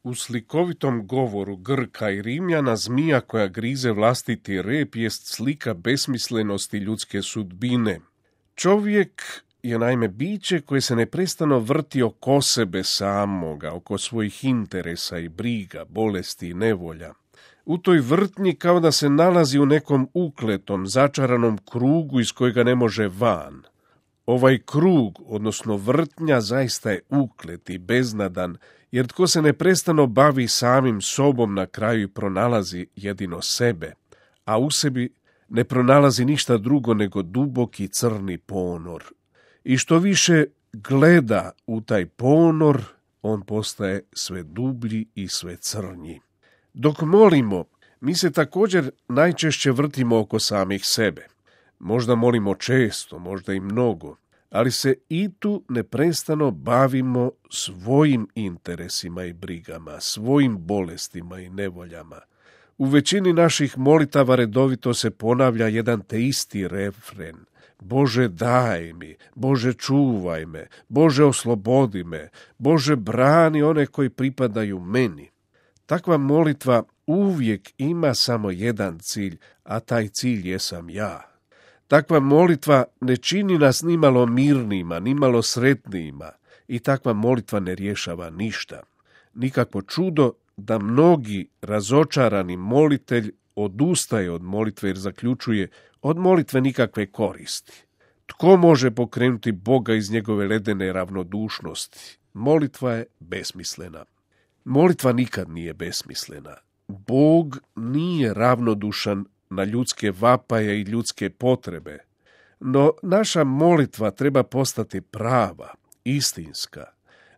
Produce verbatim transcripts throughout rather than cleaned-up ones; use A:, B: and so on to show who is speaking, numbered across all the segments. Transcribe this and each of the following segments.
A: U slikovitom govoru Grka i Rimljana zmija koja grize vlastiti rep jest slika besmislenosti ljudske sudbine. Čovjek je naime biće koje se neprestano vrti oko sebe samoga, oko svojih interesa i briga, bolesti i nevolja. U toj vrtnji kao da se nalazi u nekom ukletom, začaranom krugu iz kojega ne može van. Ovaj krug, odnosno vrtnja, zaista je uklet i beznadan, jer tko se neprestano bavi samim sobom na kraju i pronalazi jedino sebe, a u sebi ne pronalazi ništa drugo nego duboki crni ponor. I što više gleda u taj ponor, on postaje sve dublji i sve crnji. Dok molimo, mi se također najčešće vrtimo oko samih sebe. Možda molimo često, možda i mnogo, ali se i tu neprestano bavimo svojim interesima i brigama, svojim bolestima i nevoljama. U većini naših molitava redovito se ponavlja jedan te isti refren. Bože daj mi, Bože čuvaj me, Bože oslobodi me, Bože brani one koji pripadaju meni. Takva molitva uvijek ima samo jedan cilj, a taj cilj jesam ja. Takva molitva ne čini nas nimalo mirnima, nimalo sretnijima i takva molitva ne rješava ništa. Nikakvo čudo da mnogi razočarani molitelj odustaje od molitve jer zaključuje od molitve nikakve koristi. Tko može pokrenuti Boga iz njegove ledene ravnodušnosti? Molitva je besmislena. Molitva nikad nije besmislena. Bog nije ravnodušan na ljudske vapaje i ljudske potrebe, no naša molitva treba postati prava, istinska.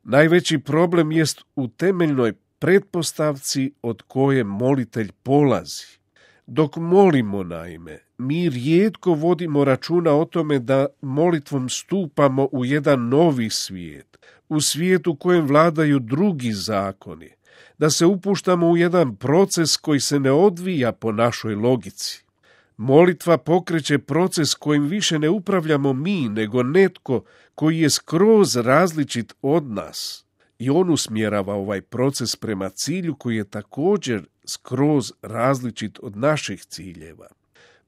A: Najveći problem jest u temeljnoj pretpostavci od koje molitelj polazi. Dok molimo, naime, mi rijetko vodimo računa o tome da molitvom stupamo u jedan novi svijet, u svijet u kojem vladaju drugi zakoni, da se upuštamo u jedan proces koji se ne odvija po našoj logici. Molitva pokreće proces kojim više ne upravljamo mi, nego netko koji je skroz različit od nas. I on usmjerava ovaj proces prema cilju koji je također skroz različit od naših ciljeva.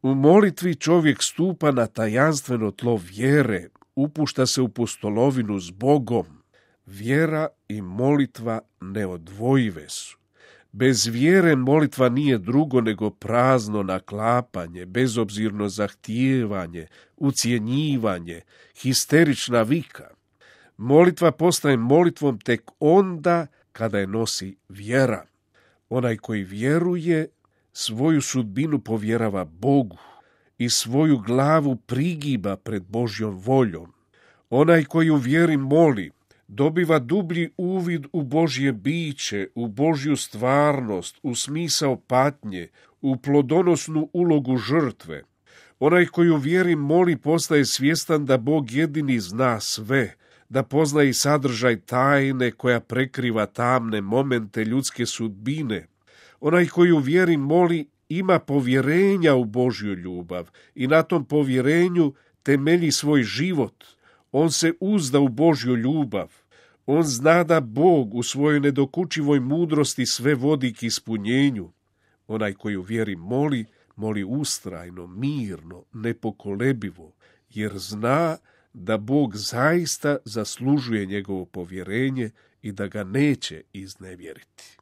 A: U molitvi čovjek stupa na tajanstveno tlo vjere, upušta se u pustolovinu s Bogom. Vjera i molitva neodvojive su. Bez vjere molitva nije drugo nego prazno naklapanje, bezobzirno zahtijevanje, ucjenjivanje, histerična vika. Molitva postaje molitvom tek onda kada je nosi vjera. Onaj koji vjeruje svoju sudbinu povjerava Bogu i svoju glavu prigiba pred Božjom voljom. Onaj koji u vjeri moli dobiva dublji uvid u Božje biće, u Božju stvarnost, u smisao patnje, u plodonosnu ulogu žrtve. Onaj koji u vjeri moli postaje svjestan da Bog jedini zna sve, da pozna i sadržaj tajne koja prekriva tamne momente ljudske sudbine. Onaj koji u vjeri moli ima povjerenja u Božju ljubav i na tom povjerenju temelji svoj život. On se uzda u Božju ljubav. On zna da Bog u svojoj nedokučivoj mudrosti sve vodi k ispunjenju. Onaj koji u vjeri moli, moli ustrajno, mirno, nepokolebivo, jer zna da Bog zaista zaslužuje njegovo povjerenje i da ga neće iznevjeriti.